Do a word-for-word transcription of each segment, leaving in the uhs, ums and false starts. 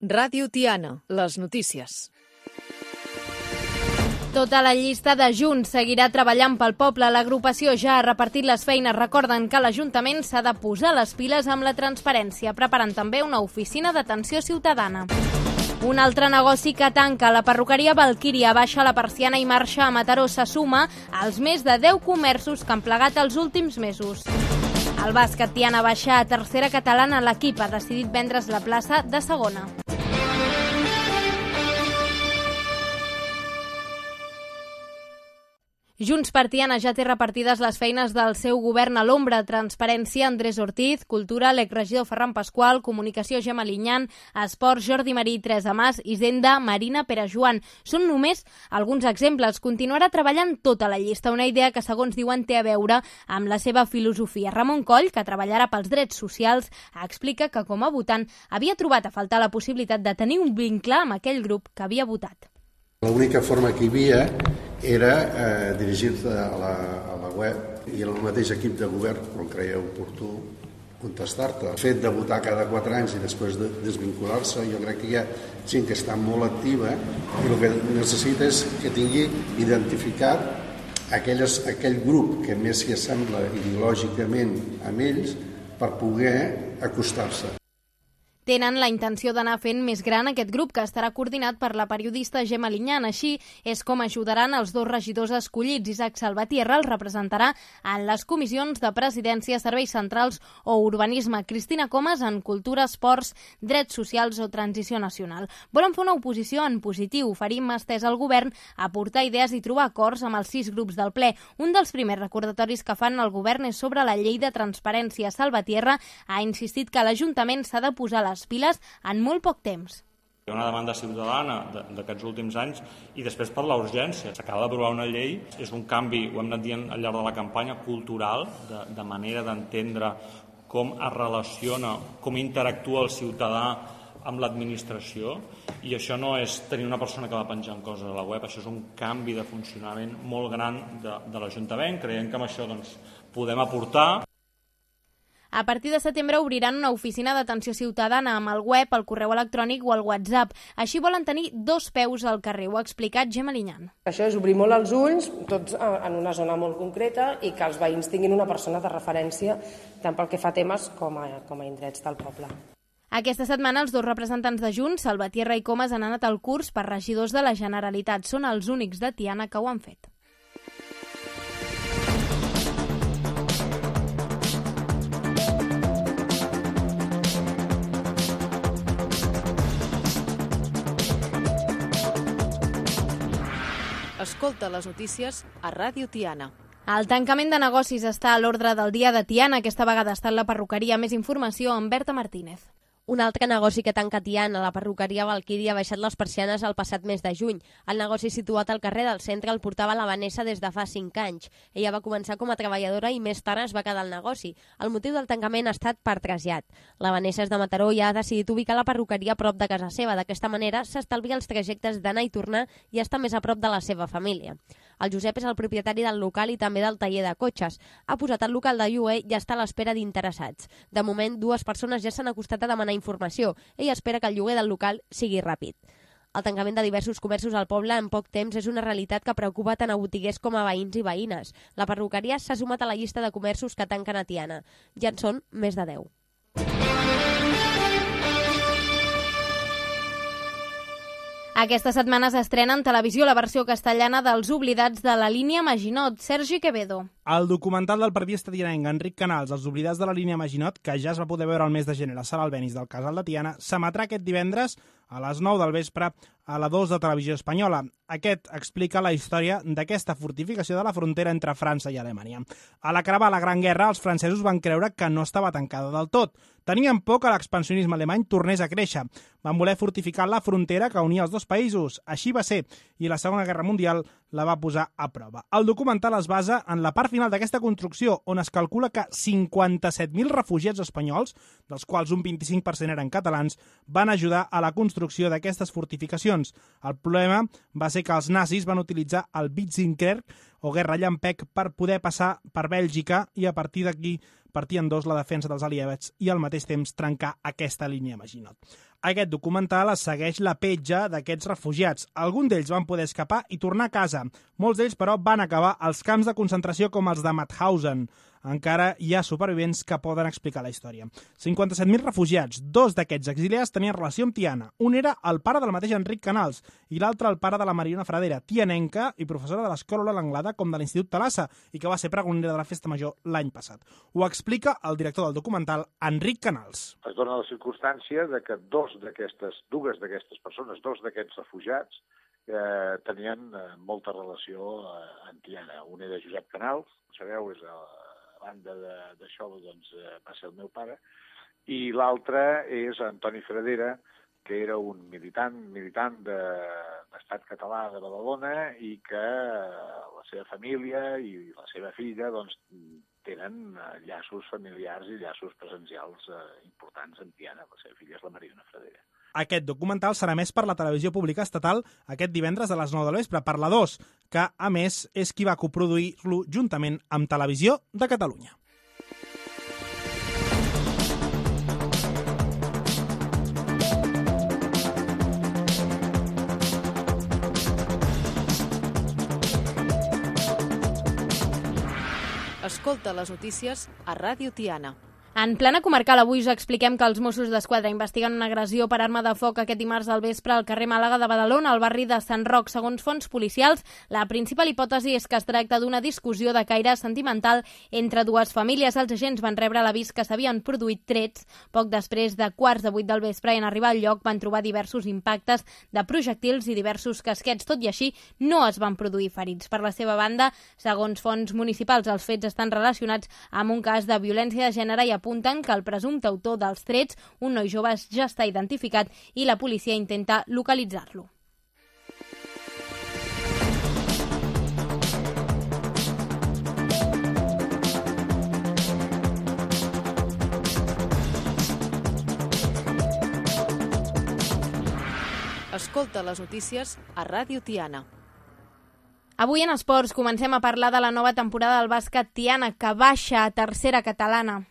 Ràdio Tiana, les notícies. Tota la llista de Junts seguirà treballant pel poble. L'agrupació ja ha repartit les feines. Recorden que l'Ajuntament s'ha de posar les piles amb la transparència, preparant també una oficina d'atenció ciutadana. Un altre negoci que tanca, la perruqueria Valquíria, baixa la persiana i marxa a Mataró. Se suma als més de deu comerços que han plegat els últims mesos. El bàsquet Tiana baixa a tercera catalana. L'equip ha decidit vendre's la plaça de segona. Junts per Tiana ja té repartides les feines del seu govern a l'ombra. Transparència, Andrés Ortiz; Cultura, l'exregidor Ferran Pasqual; Comunicació, Gemma Liñán; Esports, Jordi Marí i Teresa Mas; Hisenda, Marina Pere-Joan. Són només alguns exemples. Continuarà treballant tota la llista, una idea que, segons diuen, té a veure amb la seva filosofia. Ramon Coll, que treballarà pels drets socials, explica que com a votant havia trobat a faltar la possibilitat de tenir un vincle amb aquell grup que havia votat. L'única forma que hi havia era eh, dirigir-te a, la, a la web i el mateix equip de govern, quan creia oportú, contestar-te. El fet de votar cada quatre anys i després de desvincular-se, jo crec que hi ha gent que està molt activa i el que necessita és que tingui identificat aquelles, aquell grup que més s'hi assembla ideològicament amb ells per poder acostar-se. Tenen la intenció d'anar fent més gran aquest grup, que estarà coordinat per la periodista Gemma Liñán. Així és com ajudaran els dos regidors escollits. Isaac Salvatierra els representarà en les comissions de Presidència, Serveis Centrals o Urbanisme. Cristina Comas en Cultura, Esports, Drets Socials o Transició Nacional. Volen fer una oposició en positiu, oferir mà estesa al govern, aportar idees i trobar acords amb els sis grups del ple. Un dels primers recordatoris que fan al govern és sobre la llei de transparència. Salvatierra ha insistit que l'Ajuntament s'ha de posar les piles en molt poc temps. Hi ha una demanda ciutadana d'aquests últims anys i després per la urgència. S'acaba d'aprovar una llei, és un canvi, ho hem anat dient al llarg de la campanya, cultural, de, de manera d'entendre com es relaciona, com interactua el ciutadà amb l'administració, i això no és tenir una persona que va penjant coses a la web, això és un canvi de funcionament molt gran de, de l'Ajuntament. Creiem que amb això doncs, podem aportar. A partir de setembre obriran una oficina d'atenció ciutadana amb el web, el correu electrònic o el WhatsApp. Així volen tenir dos peus al carrer, ho ha explicat Gemma Liñán. Això és obrir molt els ulls, tots en una zona molt concreta, i que els veïns tinguin una persona de referència tant pel que fa a temes com a, com a indrets del poble. Aquesta setmana els dos representants de Junts, Salvatierra i Comas, han anat al curs per regidors de la Generalitat. Són els únics de Tiana que ho han fet. Escolta les notícies a Ràdio Tiana. El tancament de negocis està a l'ordre del dia de Tiana. Aquesta vegada està en la perruqueria. Més informació amb Berta Martínez. Un altre negoci que tanca Tiana, la perruqueria Valquíria, ha baixat les persianes el passat mes de juny. El negoci situat al carrer del centre el portava la Vanessa des de fa cinc anys. Ella va començar com a treballadora i més tard es va quedar al negoci. El motiu del tancament ha estat per trasllat. La Vanessa és de Mataró i ha decidit ubicar la perruqueria a prop de casa seva. D'aquesta manera s'estalvia els trajectes d'anar i tornar i està més a prop de la seva família. El Josep és el propietari del local i també del taller de cotxes. Ha posat el local de lloguer i està a l'espera d'interessats. De moment, dues persones ja s'han acostat a demanar informació. Ell espera que el lloguer del local sigui ràpid. El tancament de diversos comerços al poble en poc temps és una realitat que preocupa tant a botiguers com a veïns i veïnes. La perruqueria s'ha sumat a la llista de comerços que tanquen a Tiana. Ja en són més de deu. Aquesta setmana s'estrena en televisió la versió castellana dels Oblidats de la línia Maginot. Sergi Quevedo. El documental del periodista tianenc Enric Canals, Els Oblidats de la línia Maginot, que ja es va poder veure el mes de gener a la Sala Albéniz del Casal de Tiana, s'emetrà aquest divendres a les nou del vespre a la dos de Televisió Espanyola. Aquest explica la història d'aquesta fortificació de la frontera entre França i Alemanya. A l'acabar la Gran Guerra, els francesos van creure que no estava tancada del tot. Tenien por que l'expansionisme alemany tornés a créixer. Van voler fortificar la frontera que unia els dos països. Així va ser, i la Segona Guerra Mundial la va posar a prova. El documental es basa en la part final d'aquesta construcció, on es calcula que cinquanta-set mil refugiats espanyols, dels quals un vint-i-cinc per cent eren catalans, van ajudar a la construcció d'aquestes fortificacions. El problema va ser que els nazis van utilitzar el Witzenkrieg, o guerra llampec, per poder passar per Bèlgica i a partir d'aquí partir en dos la defensa dels aliats i al mateix temps trencar aquesta línia Maginot. Aquest documental segueix la petja d'aquests refugiats. Alguns d'ells van poder escapar i tornar a casa. Molts d'ells, però, van acabar als camps de concentració com els de Mauthausen. Encara hi ha supervivents que poden explicar la història. cinquanta-set mil refugiats. Dos d'aquests exiliats tenien relació amb Tiana. Un era el pare del mateix Enric Canals i l'altre el pare de la Mariona Fradera, tianenca i professora de l'Escola L'Anglada com de l'Institut Talassa i que va ser pregonera de la Festa Major l'any passat. Ho explica el director del documental, Enric Canals. Es dona la circumstància de que dos d'aquestes, dues d'aquestes persones, dos d'aquests refugiats, eh, tenien eh, molta relació eh, amb Tiana. Un era Josep Canals, sabeu, és el a banda d'això doncs, va ser el meu pare, i l'altre és Antoni Fradera, que era un militant militant de l'Estat català de Badalona i que la seva família i la seva filla doncs, tenen llaços familiars i llaços presencials eh, importants amb Tiana. La seva filla és la Mariona Fradera. Aquest documental serà emès per la televisió pública estatal aquest divendres a les nou del vespre per la dos, que, a més, és qui va coproduir-lo juntament amb Televisió de Catalunya. Escolta les notícies a Ràdio Tiana. En plana comarcal, avui us expliquem que els Mossos d'Esquadra investiguen una agressió per arma de foc aquest dimarts al vespre al carrer Màlaga de Badalona, al barri de Sant Roc. Segons fonts policials, la principal hipòtesi és que es tracta d'una discussió de caire sentimental entre dues famílies. Els agents van rebre l'avís que s'havien produït trets. Poc després de quarts de vuit del vespre i en arribar al lloc van trobar diversos impactes de projectils i diversos casquets. Tot i així, no es van produir ferits. Per la seva banda, segons fonts municipals, els fets estan relacionats amb un cas de violència de gènere i apunten que el presumpte autor dels trets, un noi jove, ja està identificat i la policia intenta localitzar-lo. Escolta les notícies a Ràdio Tiana. Avui en esports comencem a parlar de la nova temporada del bàsquet Tiana, que baixa a tercera catalana.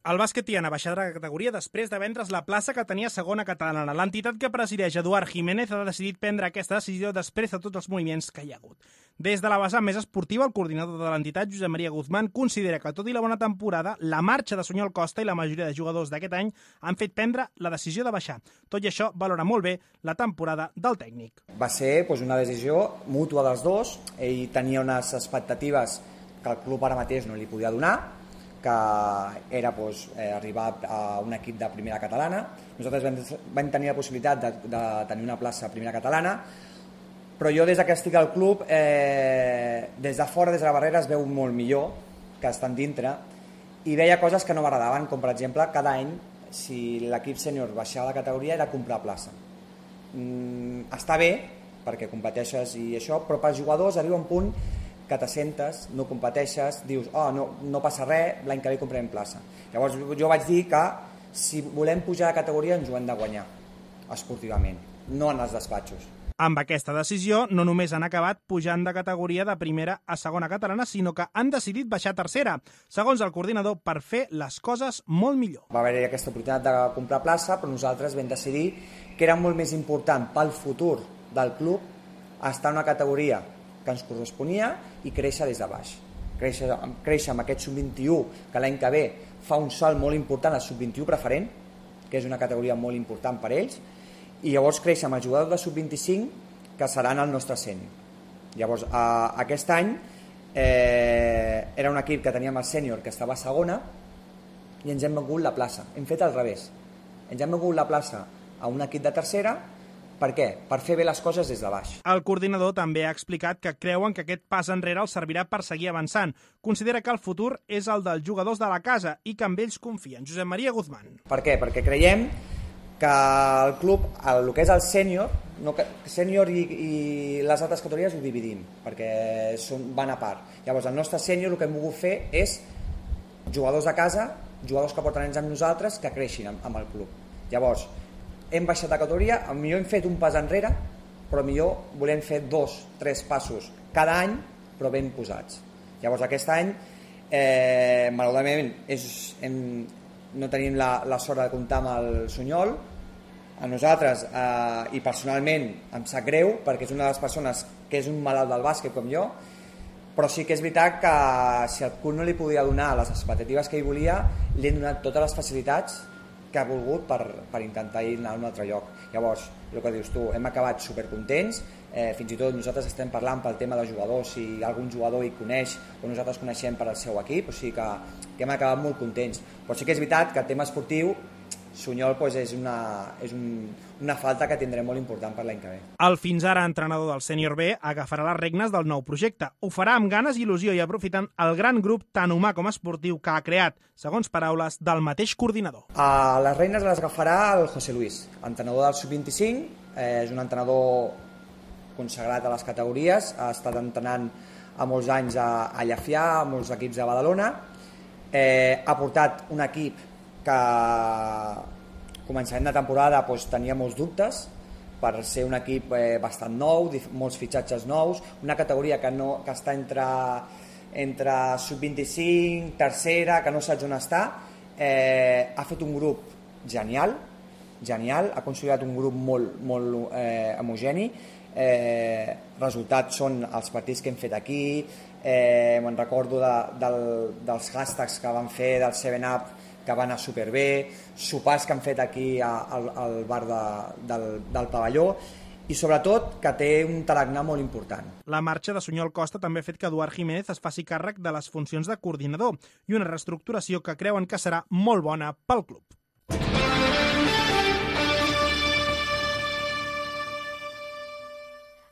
El bàsquet Tiana baixarà de categoria després de vendre's la plaça que tenia segona catalana. L'entitat que presideix Eduard Jiménez ha decidit prendre aquesta decisió després de tots els moviments que hi ha hagut. Des de la vessant més esportiva, el coordinador de l'entitat, Josep Maria Guzmán, considera que, tot i la bona temporada, la marxa de Sunyol Costa i la majoria de jugadors d'aquest any han fet prendre la decisió de baixar. Tot i això, valora molt bé la temporada del tècnic. Va ser doncs, una decisió mútua dels dos. Ell tenia unes expectatives que el club ara mateix no li podia donar, que era doncs, eh, arribar a un equip de primera catalana. Nosaltres vam, vam tenir la possibilitat de, de tenir una plaça a primera catalana, però jo des que estic al club, eh, des de fora, des de la barrera, es veu molt millor que estan dintre, i veia coses que no m'agradaven, com per exemple, cada any, si l'equip sènior baixava la categoria, era comprar plaça. Mm, està bé, perquè competeixes i això, però pels jugadors arriba un punt que t'assentes, no competeixes, dius, oh, no, no passa res, l'any que ve comprem plaça. Llavors jo vaig dir que si volem pujar de categoria ens ho hem de guanyar, esportivament, no en els despatxos. Amb aquesta decisió no només han acabat pujant de categoria de primera a segona catalana, sinó que han decidit baixar a tercera, segons el coordinador, per fer les coses molt millor. Va haver-hi aquesta oportunitat de comprar plaça, però nosaltres vam decidir que era molt més important pel futur del club estar en una categoria que ens corresponia i créixer des de baix. Créixer, créixer amb aquest sub vint-i-u, que l'any que ve fa un salt molt important al sub vint-i-u preferent, que és una categoria molt important per ells, i llavors créixer amb el jugador de sub vint-i-cinc, que seran el nostre sènior. Llavors, a, aquest any eh, era un equip que teníem el sènior que estava a segona i ens hem vengut la plaça. Hem fet al revés. Ens hem vengut la plaça a un equip de tercera. Per què? Per fer bé les coses des de baix. El coordinador també ha explicat que creuen que aquest pas enrere els servirà per seguir avançant. Considera que el futur és el dels jugadors de la casa i que amb ells confien. Josep Maria Guzmán. Per què? Perquè creiem que el club, el que és el sènior, no, sènior i, i les altres categories ho dividim, perquè són, van a part. Llavors, el nostre sènior el que hem volgut fer és jugadors de casa, jugadors que porten anys amb nosaltres, que creixin amb, amb el club. Llavors, hem baixat de categoria, millor hem fet un pas enrere, però millor volem fer dos, tres passos cada any, però ben posats. Llavors aquest any, eh, malauradament, és, hem, no tenim la, la sort de comptar amb el Sunyol, A nosaltres, eh, i personalment, em sap greu, perquè és una de les persones que és un malalt del bàsquet com jo, però sí que és veritat que si el club no li podia donar les expectatives que ell volia, li hem donat totes les facilitats que ha volgut per, per intentar ir a un altre lloc. Llavors, el que dius tu, hem acabat supercontents, eh, fins i tot nosaltres estem parlant pel tema de jugadors, si algun jugador hi coneix o nosaltres coneixem per al seu equip, o sigui que, que hem acabat molt contents. Però sí que és veritat que el tema esportiu, Sunyol pues, és, una, és un, una falta que tindrem molt important per l'any que ve. El fins ara entrenador del sènior B agafarà les regnes del nou projecte. Ho farà amb ganes i il·lusió i aprofitant el gran grup tant humà com esportiu que ha creat, segons paraules del mateix coordinador. A les regnes les agafarà el José Luis, entrenador del sub vint-i-cinc, eh, és un entrenador consagrat a les categories, ha estat entrenant a molts anys a, a Llafià, a molts equips de Badalona, eh, ha portat un equip que començant la temporada doncs, tenia molts dubtes per ser un equip eh, bastant nou, molts fitxatges nous, una categoria que, no, que està entre, entre sub vint-i-cinc, tercera, que no saps on està. Eh, ha fet un grup genial, genial, ha consolidat un grup molt, molt eh, homogeni. Eh, resultats són els partits que hem fet aquí, eh, me'n recordo de, del, dels hashtags que van fer del seven up que va anar superbé, sopars que han fet aquí al, al bar de, del, del pavelló i sobretot que té un tarannà molt important. La marxa de Sunyol Costa també ha fet que Eduard Jiménez es faci càrrec de les funcions de coordinador i una reestructuració que creuen que serà molt bona pel club.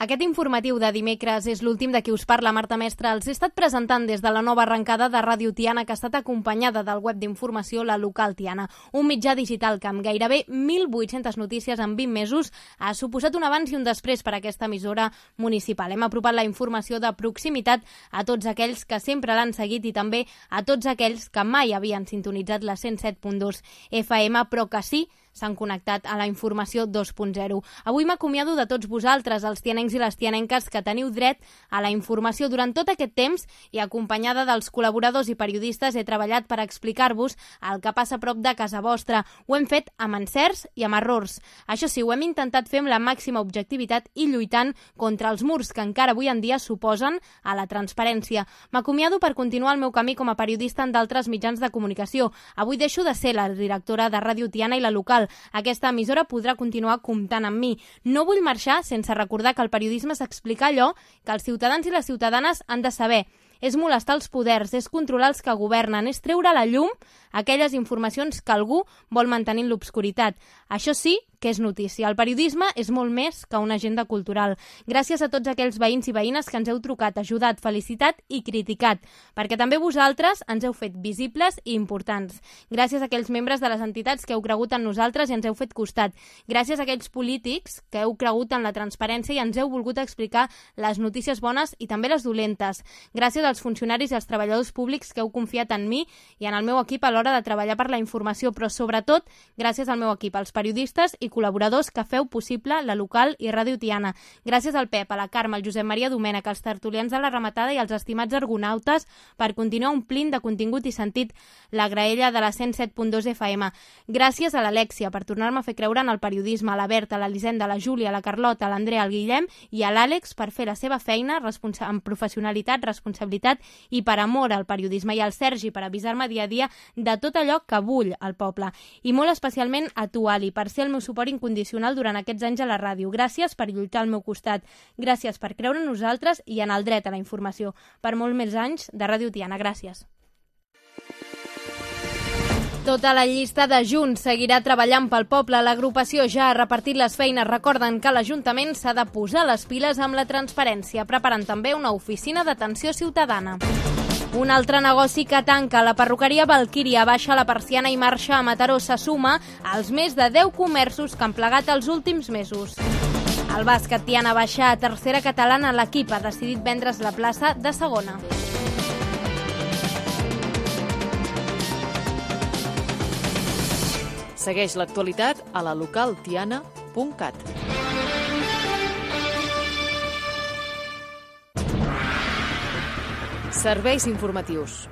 Aquest informatiu de dimecres és l'últim de qui us parla, Marta Mestre. Els he estat presentant des de la nova arrencada de Ràdio Tiana, que ha estat acompanyada del web d'informació La Local Tiana, un mitjà digital que amb gairebé mil vuit-centes notícies en vint mesos ha suposat un abans i un després per a aquesta emissora municipal. Hem apropat la informació de proximitat a tots aquells que sempre l'han seguit i també a tots aquells que mai havien sintonitzat la cent set punt dos F M, però que sí s'han connectat a la informació dos punt zero. Avui m'acomiado de tots vosaltres, els tianencs i les tianenques que teniu dret a la informació. Durant tot aquest temps i acompanyada dels col·laboradors i periodistes he treballat per explicar-vos el que passa a prop de casa vostra. Ho hem fet amb encerts i amb errors. Això sí, ho hem intentat fer amb la màxima objectivitat i lluitant contra els murs que encara avui en dia suposen a la transparència. M'acomiado per continuar el meu camí com a periodista en d'altres mitjans de comunicació. Avui deixo de ser la directora de Ràdio Tiana i La Local. Aquesta emissora podrà continuar comptant amb mi. No vull marxar sense recordar que el periodisme és explicar allò que els ciutadans i les ciutadanes han de saber. És molestar els poders, és controlar els que governen, és treure a la llum aquelles informacions que algú vol mantenir en l'obscuritat. Això sí que és notícia. El periodisme és molt més que una agenda cultural. Gràcies a tots aquells veïns i veïnes que ens heu trucat, ajudat, felicitat i criticat, perquè també vosaltres ens heu fet visibles i importants. Gràcies a aquells membres de les entitats que heu cregut en nosaltres i ens heu fet costat. Gràcies a aquells polítics que heu cregut en la transparència i ens heu volgut explicar les notícies bones i també les dolentes. Gràcies als funcionaris i als treballadors públics que heu confiat en mi i en el meu equip a l'hora de treballar per la informació, però sobretot gràcies al meu equip, als periodistes i col·laboradors que feu possible La Local i Ràdio Tiana. Gràcies al Pep, a la Carme, al Josep Maria Domènech, als tertulians de la Rematada i als estimats argonautes per continuar omplint de contingut i sentit la graella de la cent set punt dos F M. Gràcies a l'Alexia per tornar-me a fer creure en el periodisme, a la Berta, a l'Elisenda, a la Júlia, a la Carlota, a l'Andrea, al Guillem i a l'Àlex per fer la seva feina amb professionalitat, responsabilitat i per amor al periodisme, i al Sergi per avisar-me dia a dia de tot allò que vull al poble. I molt especialment a tu, Ali, per ser el meu suport incondicional durant aquests anys a la ràdio. Gràcies per lluitar al meu costat. Gràcies per creure en nosaltres i en el dret a la informació. Per molts més anys de Ràdio Tiana. Gràcies. Tota la llista de Junts seguirà treballant pel poble. L'agrupació ja ha repartit les feines. Recorden que l'Ajuntament s'ha de posar les piles amb la transparència, preparant també una oficina d'atenció ciutadana. Un altre negoci que tanca, la perruqueria Valquíria, baixa la persiana i marxa a Mataró, se suma als més de deu comerços que han plegat els últims mesos. El bàsquet Tiana baixa a tercera catalana. L'equip ha decidit vendre's la plaça de segona. Segueix l'actualitat a la local tiana punt cat. Serveis informatius.